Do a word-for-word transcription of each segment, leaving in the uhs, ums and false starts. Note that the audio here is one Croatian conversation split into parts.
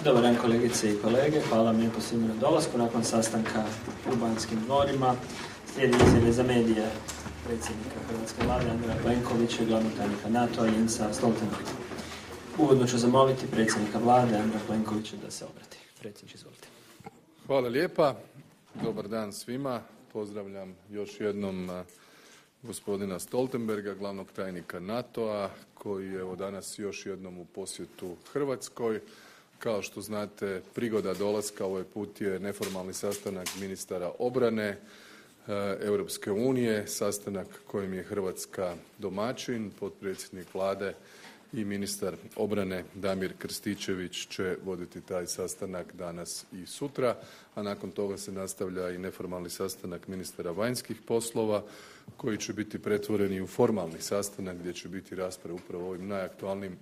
Dobar dan kolegice i kolege, hvala vam lijepo svima na dolasku. Nakon sastanka u Banskim dvorima slijedi izjave za medije predsjednika Hrvatske vlade Andreja Plenkovića i glavnog tajnika NATO-a Jensa Stoltenberga. Uvodno ću zamoliti predsjednika vlade Andreja Plenkovića da se obrati. Predsjedniče, izvolite. Hvala lijepa, dobar dan svima. Pozdravljam još jednom gospodina Stoltenberga, glavnog tajnika NATO-a, koji je evo danas još jednom u posjetu Hrvatskoj. Kao što znate, prigoda dolaska ovaj put je neformalni sastanak ministara obrane Europske unije, sastanak kojim je Hrvatska domaćin, potpredsjednik vlade i ministar obrane Damir Krstičević će voditi taj sastanak danas i sutra, a nakon toga se nastavlja i neformalni sastanak ministara vanjskih poslova koji će biti pretvoreni u formalni sastanak gdje će biti rasprave upravo o ovim najaktualnijim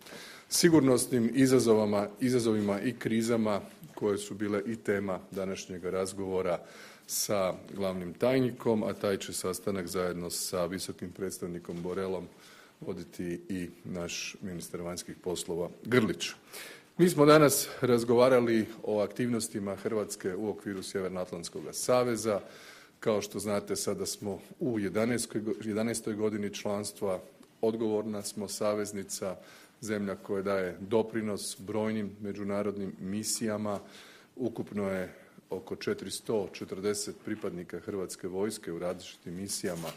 sigurnosnim izazovima, izazovima i krizama koje su bile i tema današnjeg razgovora sa glavnim tajnikom, a taj će sastanak zajedno sa visokim predstavnikom Borrellom voditi i naš ministar vanjskih poslova Grlić. Mi smo danas razgovarali o aktivnostima Hrvatske u okviru Sjevernoatlantskog saveza. Kao što znate, sada smo u jedanaestoj godini članstva, odgovorna smo saveznica, zemlja koja daje doprinos brojnim međunarodnim misijama. Ukupno je oko četiristo četrdeset pripadnika Hrvatske vojske u različitim misijama,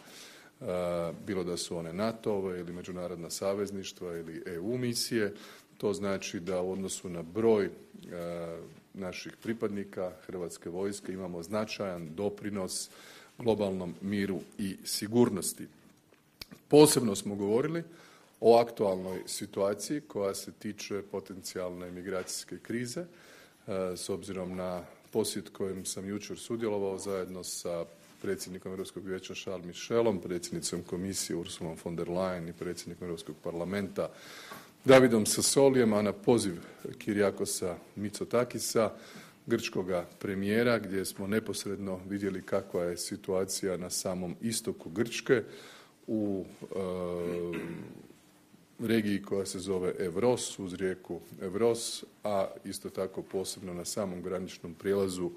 bilo da su one NATO-ove ili međunarodna savezništva ili E U misije. To znači da u odnosu na broj naših pripadnika Hrvatske vojske imamo značajan doprinos globalnom miru i sigurnosti. Posebno smo govorili o aktualnoj situaciji koja se tiče potencijalne migracijske krize, s obzirom na posjet kojem sam jučer sudjelovao zajedno sa predsjednikom Europskog vijeća Charles Michelom, predsjednicom komisije Ursulom von der Leyen i predsjednikom Europskog parlamenta Davidom Sassolijem, a na poziv Kyriakosa Mitsotakisa, grčkoga premijera, gdje smo neposredno vidjeli kakva je situacija na samom istoku Grčke u e, regiji koja se zove Evros, uz rijeku Evros, a isto tako posebno na samom graničnom prijelazu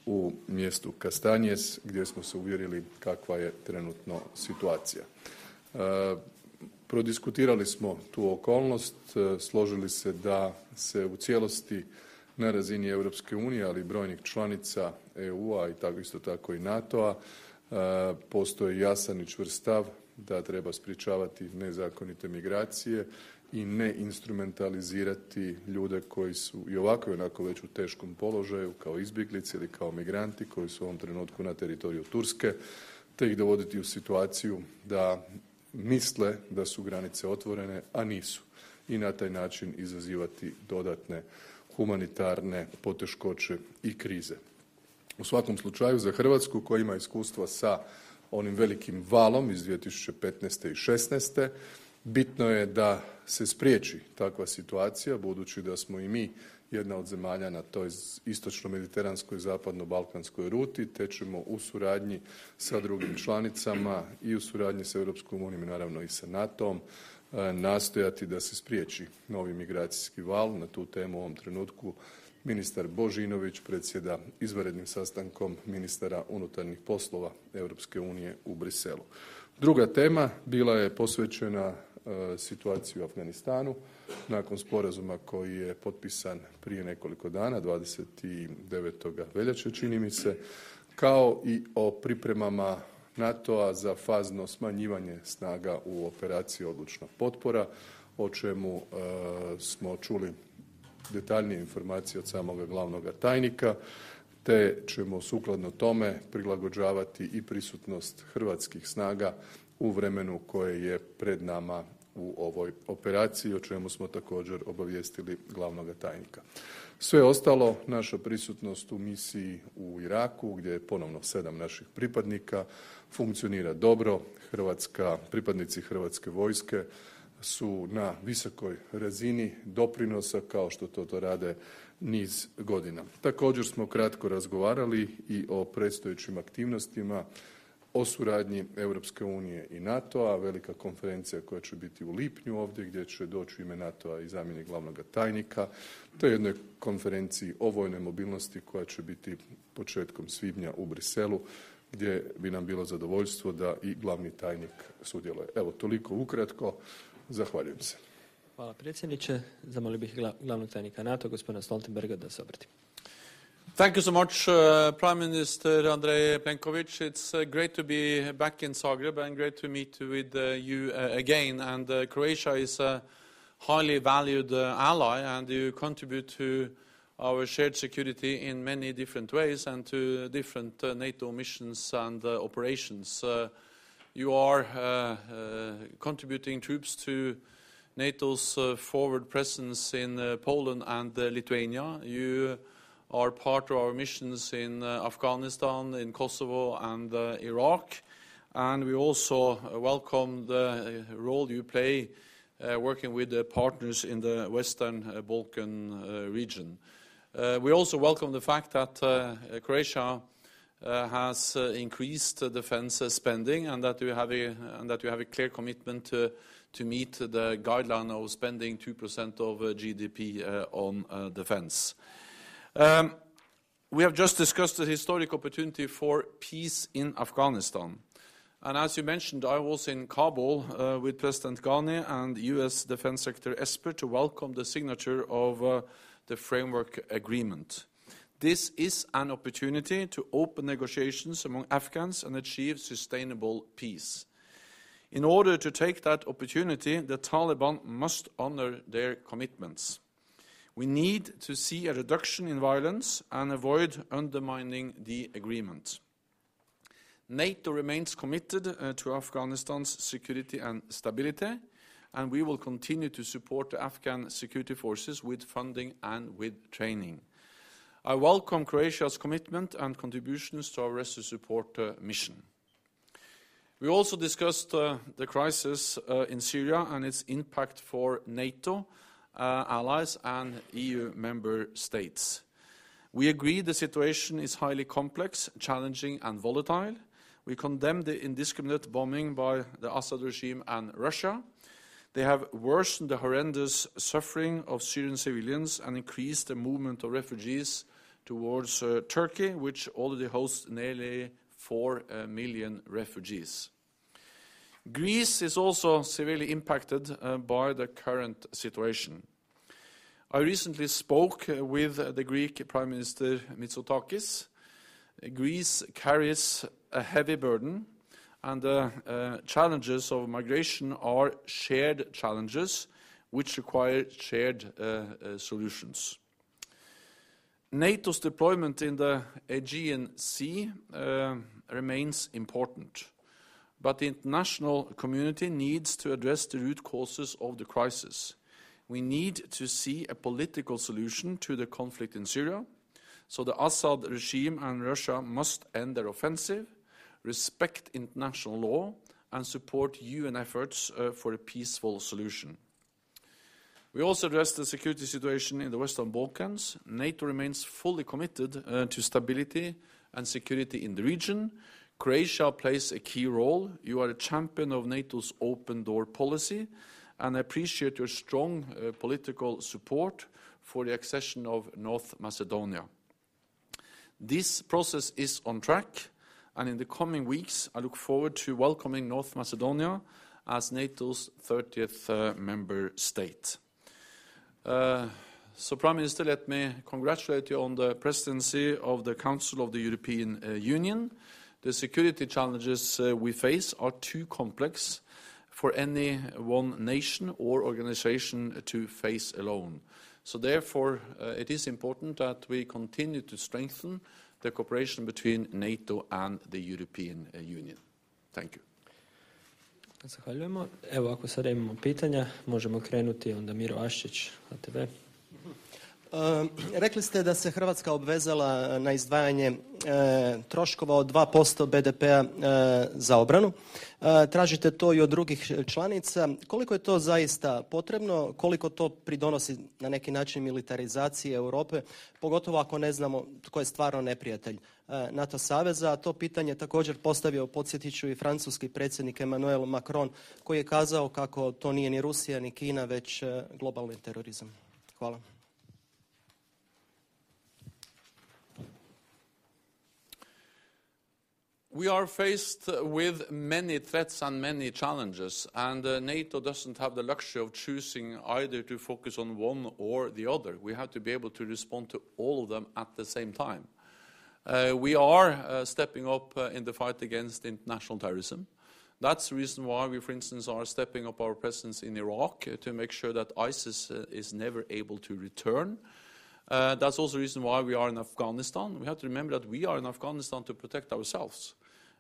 u mjestu Kastanjes, gdje smo se uvjerili kakva je trenutno situacija. E, prodiskutirali smo tu okolnost, složili se da se u cijelosti na razini Europske unije, ali i brojnih članica E U-a i tako isto tako i NATO-a, e, postoji jasan i čvrst stav da treba sprječavati nezakonite migracije i ne instrumentalizirati ljude koji su i ovako i onako već u teškom položaju kao izbjeglice ili kao migranti koji su u ovom trenutku na teritoriju Turske, te ih dovoditi u situaciju da misle da su granice otvorene, a nisu, i na taj način izazivati dodatne humanitarne poteškoće i krize. U svakom slučaju za Hrvatsku koja ima iskustva sa onim velikim valom iz dvije tisuće petnaeste i šesnaeste bitno je da se spriječi takva situacija, budući da smo i mi jedna od zemalja na toj istočno-mediteranskoj zapadno-balkanskoj ruti, te ćemo u suradnji sa drugim članicama i u suradnji sa Europskom unijom i naravno i sa NATO-om nastojati da se spriječi novi migracijski val. Na tu temu u ovom trenutku ministar Božinović predsjeda izvanrednim sastankom ministara unutarnjih poslova Europske unije u Bruxellesu. Druga tema bila je posvećena situaciji u Afganistanu nakon sporazuma koji je potpisan prije nekoliko dana, dvadeset devetog veljače čini mi se, kao i o pripremama NATO-a za fazno smanjivanje snaga u operaciji Odlučna potpora, o čemu e, smo čuli detaljnije informacije od samoga glavnog tajnika, te ćemo sukladno tome prilagođavati i prisutnost hrvatskih snaga u vremenu koje je pred nama u ovoj operaciji, o čemu smo također obavijestili glavnog tajnika. Sve ostalo, naša prisutnost u misiji u Iraku, gdje je ponovno sedam naših pripadnika, funkcionira dobro. Hrvatska, pripadnici Hrvatske vojske su na visokoj razini doprinosa, kao što to, to rade niz godina. Također smo kratko razgovarali i o predstojećim aktivnostima o suradnji Europske unije i NATO-a, velika konferencija koja će biti u lipnju ovdje gdje će doći u ime NATO-a i zamjenik glavnog tajnika, te jednoj konferenciji o vojnoj mobilnosti koja će biti početkom svibnja u Briselu gdje bi nam bilo zadovoljstvo da i glavni tajnik sudjeluje. Evo, toliko ukratko. Zahvaljujem se. Hvala predsjedniče. Zamolio bih glavnog tajnika NATO, gospodina Stoltenberga, da se obrati. Thank you so much, uh, Prime Minister Andrej Plenković. It's uh, great to be back in Zagreb and great to meet with uh, you uh, again. And uh, Croatia is a highly valued uh, ally, and you contribute to our shared security in many different ways and to different uh, NATO missions and uh, operations. Uh, you are uh, uh, contributing troops to NATO's uh, forward presence in uh, Poland and uh, Lithuania. You are part of our missions in uh, Afghanistan, in Kosovo and uh, Iraq. And we also uh, welcome the uh, role you play uh, working with the partners in the Western uh, Balkan uh, region. Uh, we also welcome the fact that uh, Croatia uh, has uh, increased uh, defense uh, spending and that you have a, and that you have a clear commitment to, to meet the guideline of spending two percent of uh, G D P uh, on uh, defense. Um, we have just discussed the historic opportunity for peace in Afghanistan. And as you mentioned, I was in Kabul uh, with President Ghani and U S Defense Secretary Esper to welcome the signature of uh, the framework agreement. This is an opportunity to open negotiations among Afghans and achieve sustainable peace. In order to take that opportunity, the Taliban must honor their commitments. We need to see a reduction in violence and avoid undermining the agreement. NATO remains committed uh, to Afghanistan's security and stability, and we will continue to support the Afghan security forces with funding and with training. I welcome Croatia's commitment and contributions to our rescue support uh, mission. We also discussed uh, the crisis uh, in Syria and its impact for NATO, Uh, allies and E U member states. We agree the situation is highly complex, challenging and volatile. We condemn the indiscriminate bombing by the Assad regime and Russia. They have worsened the horrendous suffering of Syrian civilians and increased the movement of refugees towards uh, Turkey, which already hosts nearly four uh, million refugees. Greece is also severely impacted uh, by the current situation. I recently spoke uh, with uh, the Greek Prime Minister Mitsotakis. Greece carries a heavy burden, and the uh, challenges of migration are shared challenges which require shared uh, uh, solutions. NATO's deployment in the Aegean Sea uh, remains important. But the international community needs to address the root causes of the crisis. We need to see a political solution to the conflict in Syria. So the Assad regime and Russia must end their offensive, respect international law, and support U N efforts uh, for a peaceful solution. We also address the security situation in the Western Balkans. NATO remains fully committed uh, to stability and security in the region. Croatia plays a key role. You are a champion of NATO's open door policy, and I appreciate your strong uh, political support for the accession of North Macedonia. This process is on track, and in the coming weeks I look forward to welcoming North Macedonia as NATO's thirtieth uh, member state. Uh, so, Prime Minister, let me congratulate you on the presidency of the Council of the European uh, Union. The security challenges uh, we face are too complex for any one nation or organization to face alone. So therefore, uh, it is important that we continue to strengthen the cooperation between NATO and the European uh, Union. Thank you. Zahvaljujemo. Evo, ako sada imamo pitanja, možemo krenuti. Onda Miro Aščić, A T V. Uh, rekli ste da se Hrvatska obvezala na izdvajanje uh, troškova od dva posto be de pea uh, za obranu. Uh, tražite to i od drugih članica. Koliko je to zaista potrebno? Koliko to pridonosi na neki način militarizaciji Europe? Pogotovo ako ne znamo tko je stvarno neprijatelj uh, NATO saveza. To pitanje također postavio, podsjetit ću, i francuski predsjednik Emmanuel Macron, koji je kazao kako to nije ni Rusija ni Kina, već uh, globalni terorizam. Hvala. We are faced with many threats and many challenges, and uh, NATO doesn't have the luxury of choosing either to focus on one or the other. We have to be able to respond to all of them at the same time. Uh, we are uh, stepping up uh, in the fight against international terrorism. That's the reason why we, for instance, are stepping up our presence in Iraq uh, to make sure that ISIS uh, is never able to return. Uh, that's also the reason why we are in Afghanistan. We have to remember that we are in Afghanistan to protect ourselves.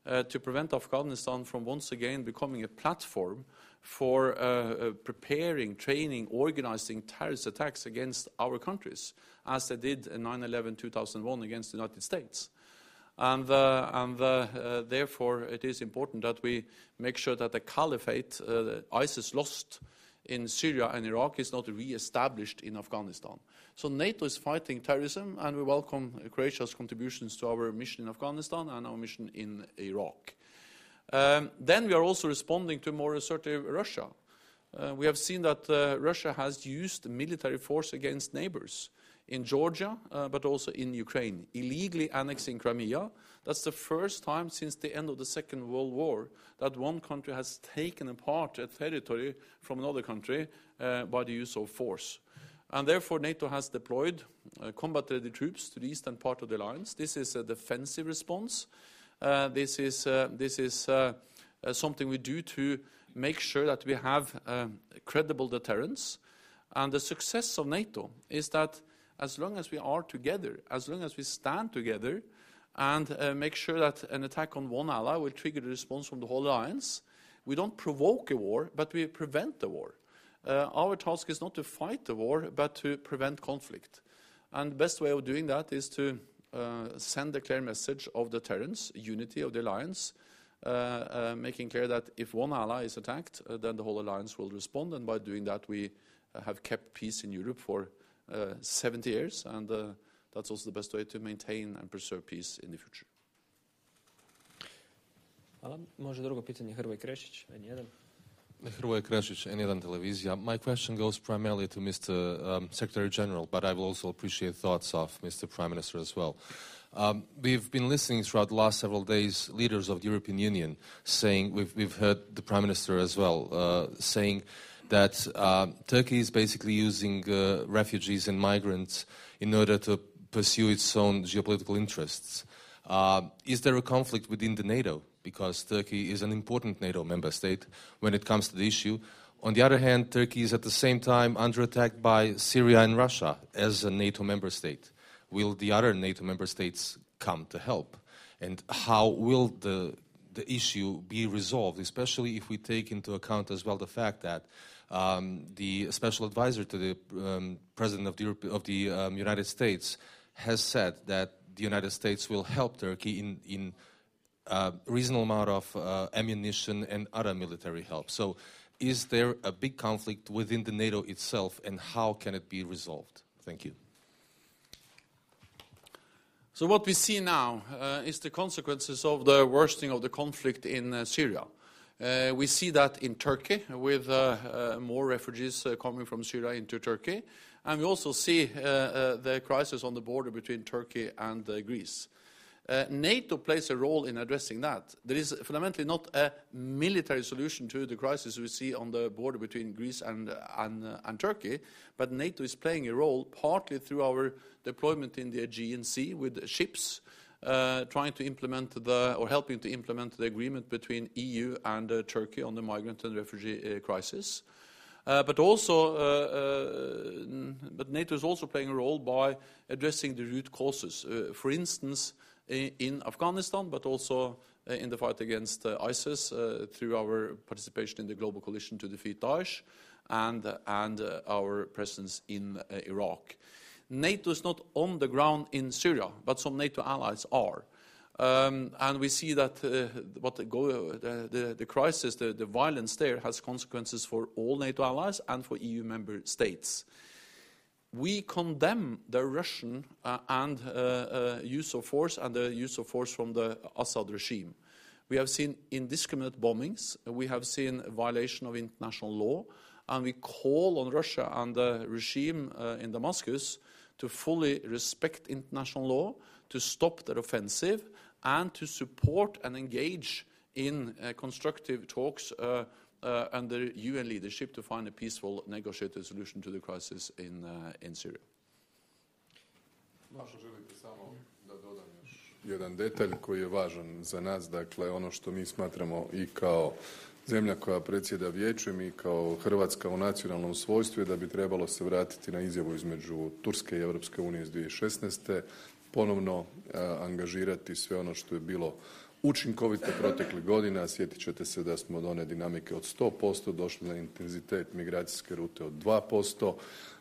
Uh, to prevent Afghanistan from once again becoming a platform for uh, uh, preparing, training, organizing terrorist attacks against our countries, as they did in nine eleven two thousand one against the United States. And, uh, and uh, uh, therefore it is important that we make sure that the caliphate uh, ISIS lost in Syria and Iraq is not re-established in Afghanistan. So NATO is fighting terrorism, and we welcome Croatia's contributions to our mission in Afghanistan and our mission in Iraq. Um, then we are also responding to more assertive Russia. Uh, we have seen that uh, Russia has used military force against neighbors in Georgia, uh, but also in Ukraine, illegally annexing Crimea. That's the first time since the end of the Second World War that one country has taken apart a territory from another country uh, by the use of force. And therefore NATO has deployed uh, combat-ready troops to the eastern part of the alliance. This is a defensive response. Uh, this is, uh, this is uh, uh, something we do to make sure that we have uh, credible deterrence. And the success of NATO is that as long as we are together, as long as we stand together and uh, make sure that an attack on one ally will trigger the response from the whole alliance, we don't provoke a war, but we prevent the war. Uh, our task is not to fight the war, but to prevent conflict. And the best way of doing that is to uh, send a clear message of deterrence, unity of the alliance, uh, uh, making clear that if one ally is attacked, uh, then the whole alliance will respond. And by doing that, we uh, have kept peace in Europe for uh, seventy years, and uh, that's also the best way to maintain and preserve peace in the future. Hvala. Može drugo pitanje, Hrvoje Krešić, N jedan. Hrvoje Krešić, N jedan Televizija. My question goes primarily to Mister Um, Secretary General, but I will also appreciate thoughts of Mister Prime Minister as well. Um, we've been listening throughout the last several days, leaders of the European Union saying, we've, we've heard the Prime Minister as well, uh, saying that uh, Turkey is basically using uh, refugees and migrants in order to pursue its own geopolitical interests. Uh, is there a conflict within the NATO? Because Turkey is an important NATO member state when it comes to the issue. On the other hand, Turkey is at the same time under attack by Syria and Russia as a NATO member state. Will the other NATO member states come to help? And how will the, the issue be resolved, especially if we take into account as well the fact that um, the special advisor to the um, President of the, Europe, of the um, United States has said that the United States will help Turkey in, in a reasonable amount of uh, ammunition and other military help. So is there a big conflict within the NATO itself, and how can it be resolved? Thank you. So what we see now uh, is the consequences of the worsening of the conflict in uh, Syria. Uh, we see that in Turkey, with uh, uh, more refugees uh, coming from Syria into Turkey. And we also see uh, uh, the crisis on the border between Turkey and uh, Greece. Uh, NATO plays a role in addressing that. There is fundamentally not a military solution to the crisis we see on the border between Greece and, and, uh, and Turkey, but NATO is playing a role partly through our deployment in the Aegean Sea with ships, uh, trying to implement the, or helping to implement the agreement between E U and uh, Turkey on the migrant and refugee uh, crisis. Uh, but also, uh, uh, but NATO is also playing a role by addressing the root causes. Uh, for instance, in, in Afghanistan, but also uh, in the fight against uh, ISIS uh, through our participation in the global coalition to defeat Daesh, and uh, and uh, our presence in uh, Iraq. NATO is not on the ground in Syria, but some NATO allies are. Um, and we see that uh, what the, go, the, the, the crisis, the, the violence there has consequences for all NATO allies and for E U member states. We condemn the Russian uh, and uh, uh, use of force and the use of force from the Assad regime. We have seen indiscriminate bombings. We have seen violation of international law. And we call on Russia and the regime uh, in Damascus to fully respect international law, to stop their offensive, and to support and engage in uh, constructive talks uh, uh, under U N leadership to find a peaceful negotiated solution to the crisis in, uh, in Syria. Možda želite samo da dodam još jedan detalj koji je važan za nas, dakle ono što mi smatramo i kao zemlja koja predsjeda vijećem i kao Hrvatska u nacionalnom svojstvu je da bi trebalo se vratiti na izjavu između Turske i Europske unije iz dvije tisuće šesnaeste. Ponovno a, angažirati sve ono što je bilo učinkovito proteklih godina. Sjetit ćete se da smo od one dinamike od sto posto došli na intenzitet migracijske rute od dva posto.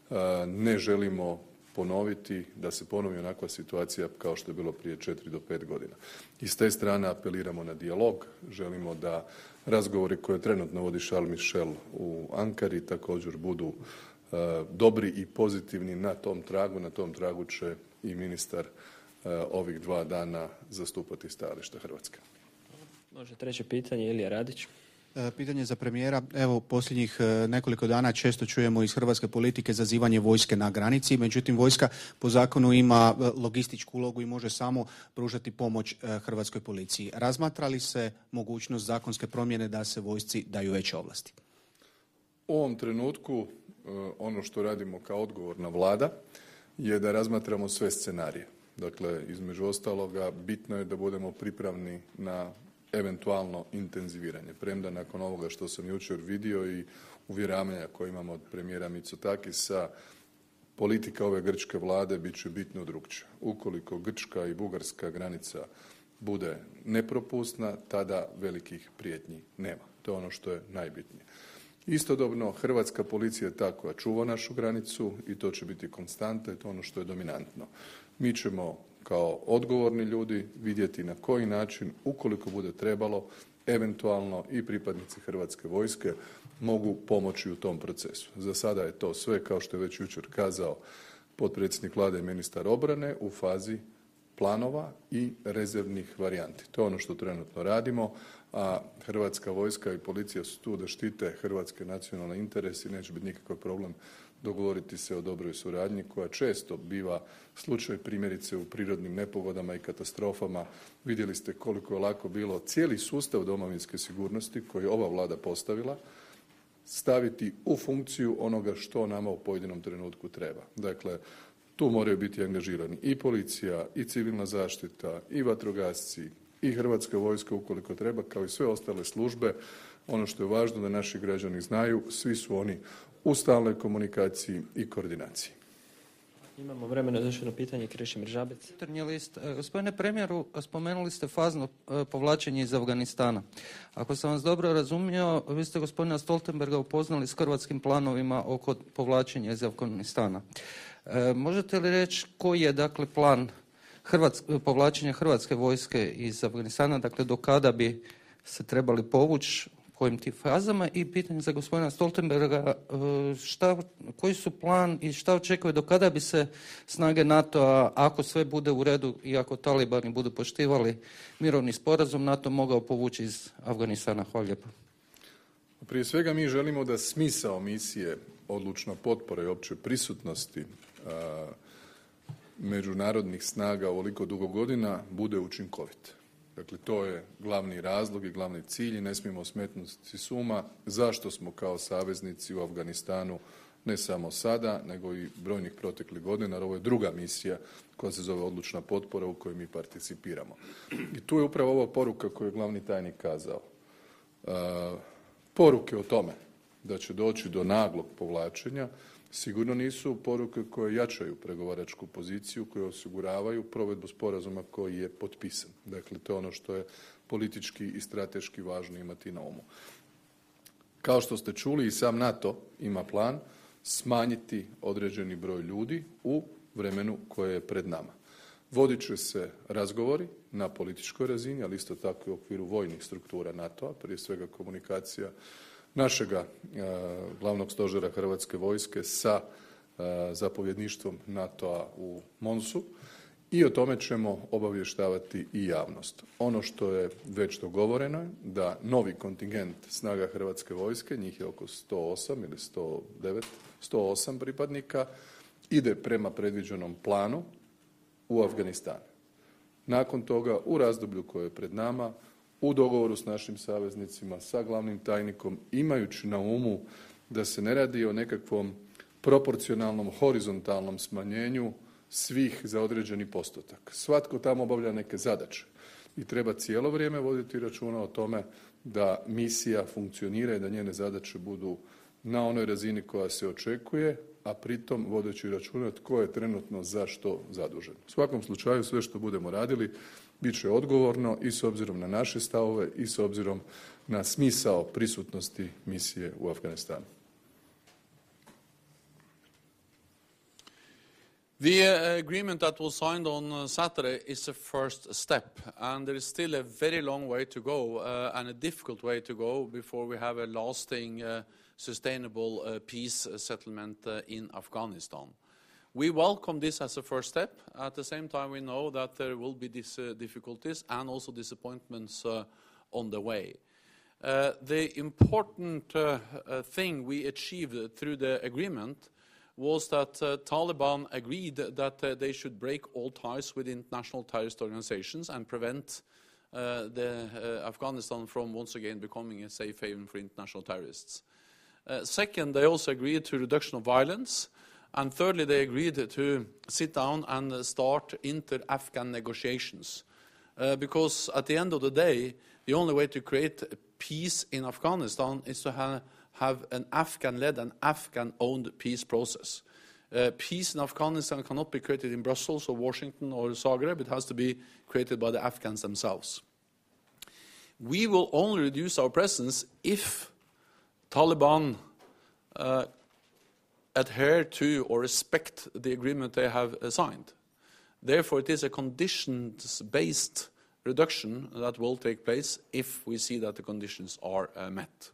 A, ne želimo ponoviti da se ponovi onakva situacija kao što je bilo prije četiri do pet godina. I s te strane apeliramo na dijalog. Želimo da razgovori koje trenutno vodi Charles Michel u Ankari također budu uh, dobri i pozitivni na tom tragu. Na tom tragu će i ministar uh, ovih dva dana zastupati stajališta Hrvatske. Može treće pitanje, Ilija Radić. Pitanje za premijera. Evo, posljednjih nekoliko dana često čujemo iz hrvatske politike zazivanje vojske na granici, međutim vojska po zakonu ima logističku ulogu i može samo pružati pomoć hrvatskoj policiji. Razmatra li se mogućnost zakonske promjene da se vojsci daju veće ovlasti? U ovom trenutku ono što radimo kao odgovorna vlada je da razmatramo sve scenarije. Dakle, između ostaloga bitno je da budemo pripravni na eventualno intenziviranje. Premda nakon ovoga što sam jučer vidio i uvjeravanja koje imamo od premijera Mitsotakisa, politika ove grčke vlade bit će bitno drukčija. Ukoliko grčka i bugarska granica bude nepropusna, tada velikih prijetnji nema. To je ono što je najbitnije. Istodobno, hrvatska policija je ta koja čuva našu granicu i to će biti konstanta i to je ono što je dominantno. Mi ćemo kao odgovorni ljudi vidjeti na koji način, ukoliko bude trebalo, eventualno i pripadnici Hrvatske vojske mogu pomoći u tom procesu. Za sada je to sve, kao što je već jučer kazao potpredsjednik vlade i ministar obrane, u fazi planova i rezervnih varijanti. To je ono što trenutno radimo, a Hrvatska vojska i policija su tu da štite hrvatske nacionalne interese i neće biti nikakav problem dogovoriti se o dobroj suradnji koja često biva slučaj primjerice u prirodnim nepogodama i katastrofama. Vidjeli ste koliko je lako bilo cijeli sustav domovinske sigurnosti koji je ova vlada postavila staviti u funkciju onoga što nama u pojedinom trenutku treba. Dakle, tu moraju biti angažirani i policija, i civilna zaštita, i vatrogasci, i Hrvatska vojska ukoliko treba, kao i sve ostale službe. Ono što je važno da naši građani znaju, svi su oni u stalnoj komunikaciji i koordinaciji. Imamo vremena za još jedno pitanje, Krešimir Žabec. Jutarnji list. Gospodine premijeru, spomenuli ste fazno povlačenje iz Afganistana. Ako sam vas dobro razumio, vi ste gospodina Stoltenberga upoznali s hrvatskim planovima oko povlačenja iz Afganistana. E, možete li reći koji je dakle plan Hrvatsk, povlačenja hrvatske vojske iz Afganistana, dakle do kada bi se trebali povući, kojim tim fazama, i pitanje za gospodina Stoltenberga, šta, koji su plan i šta očekuje do kada bi se snage NATO-a, ako sve bude u redu i ako talibani budu poštivali mirovni sporazum, NATO mogao povući iz Afganistana? Hvala lijepo. Prije svega mi želimo da smisao misije odlučna potpora i opće prisutnosti a, međunarodnih snaga ovoliko dugo godina bude učinkovit. Dakle, to je glavni razlog i glavni cilj i ne smijemo smetnuti s uma zašto smo kao saveznici u Afganistanu ne samo sada, nego i brojnih proteklih godina, jer ovo je druga misija koja se zove odlučna potpora u kojoj mi participiramo. I tu je upravo ova poruka koju je glavni tajnik kazao. E, poruke o tome da će doći do naglog povlačenja sigurno nisu poruke koje jačaju pregovaračku poziciju, koje osiguravaju provedbu sporazuma koji je potpisan. Dakle, to je ono što je politički i strateški važno imati na umu. Kao što ste čuli, i sam NATO ima plan smanjiti određeni broj ljudi u vremenu koje je pred nama. Vodit će se razgovori na političkoj razini, ali isto tako i u okviru vojnih struktura NATO-a, prije svega komunikacija našega e, glavnog stožera Hrvatske vojske sa e, zapovjedništvom NATO-a u Monsu i o tome ćemo obavještavati i javnost. Ono što je već dogovoreno je da novi kontingent snaga Hrvatske vojske, njih je oko sto osam ili sto devet, sto osam pripadnika, ide prema predviđenom planu u Afganistan. Nakon toga, u razdoblju koje je pred nama, u dogovoru s našim saveznicima, sa glavnim tajnikom, imajući na umu da se ne radi o nekakvom proporcionalnom, horizontalnom smanjenju svih za određeni postotak. Svatko tamo obavlja neke zadaće i treba cijelo vrijeme voditi računa o tome da misija funkcionira i da njene zadaće budu na onoj razini koja se očekuje, a pritom vodeći računa tko je trenutno za što zadužen. U svakom slučaju sve što budemo radili bit će odgovorno i s obzirom na naše stavove i s obzirom na smisao prisutnosti misije u Afganistanu. The uh, agreement that was signed on uh, Saturday is a first step, and there is still a very long way to go uh, and a difficult way to go before we have a lasting, uh, sustainable uh, peace settlement uh, in Afghanistan. We welcome this as a first step. At the same time, we know that there will be these uh, difficulties and also disappointments uh, on the way. Uh, the important uh, uh, thing we achieved through the agreement was that uh, Taliban agreed that uh, they should break all ties with international terrorist organizations and prevent uh, the, uh, Afghanistan from once again becoming a safe haven for international terrorists. Uh, second, they also agreed to reduction of violence. And thirdly, they agreed to sit down and start inter-Afghan negotiations. Uh, because at the end of the day, the only way to create peace in Afghanistan is to have have an Afghan-led and Afghan-owned peace process. Uh, peace in Afghanistan cannot be created in Brussels or Washington or Zagreb. It has to be created by the Afghans themselves. We will only reduce our presence if Taliban uh, adhere to or respect the agreement they have uh, signed. Therefore, it is a conditions-based reduction that will take place if we see that the conditions are uh, met.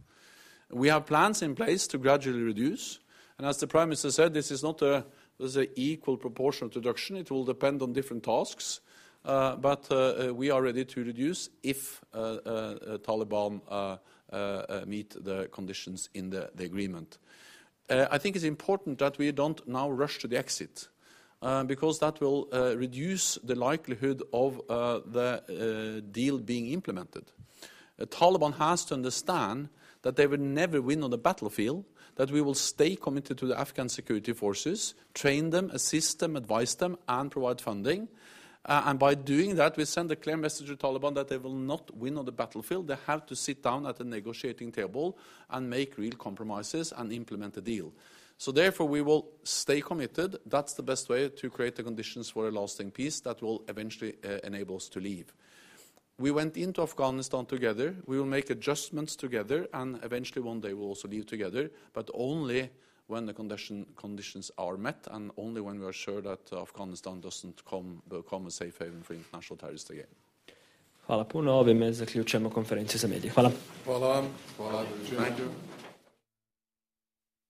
We have plans in place to gradually reduce, and as the Prime Minister said, this is not a this is an equal proportional reduction. It will depend on different tasks, uh, but uh, we are ready to reduce if uh, uh, Taliban uh, uh, meet the conditions in the, the agreement. Uh, I think it's important that we don't now rush to the exit, uh, because that will uh, reduce the likelihood of uh, the uh, deal being implemented. Uh, Taliban has to understand that they will never win on the battlefield, that we will stay committed to the Afghan security forces, train them, assist them, advise them, and provide funding. Uh, and by doing that, we send a clear message to Taliban that they will not win on the battlefield. They have to sit down at the negotiating table and make real compromises and implement a deal. So therefore, we will stay committed. That's the best way to create the conditions for a lasting peace that will eventually uh, enable us to leave. We went into Afghanistan together. We will make adjustments together, and eventually one day we'll also leave together, but only when the condition, conditions are met and only when we are sure that uh, Afghanistan doesn't come, become a safe haven for international terrorists again. Hvala puno. Ovime zaključujemo konferenciju za medije. Hvala. Hvala vam. Hvala. Thank you.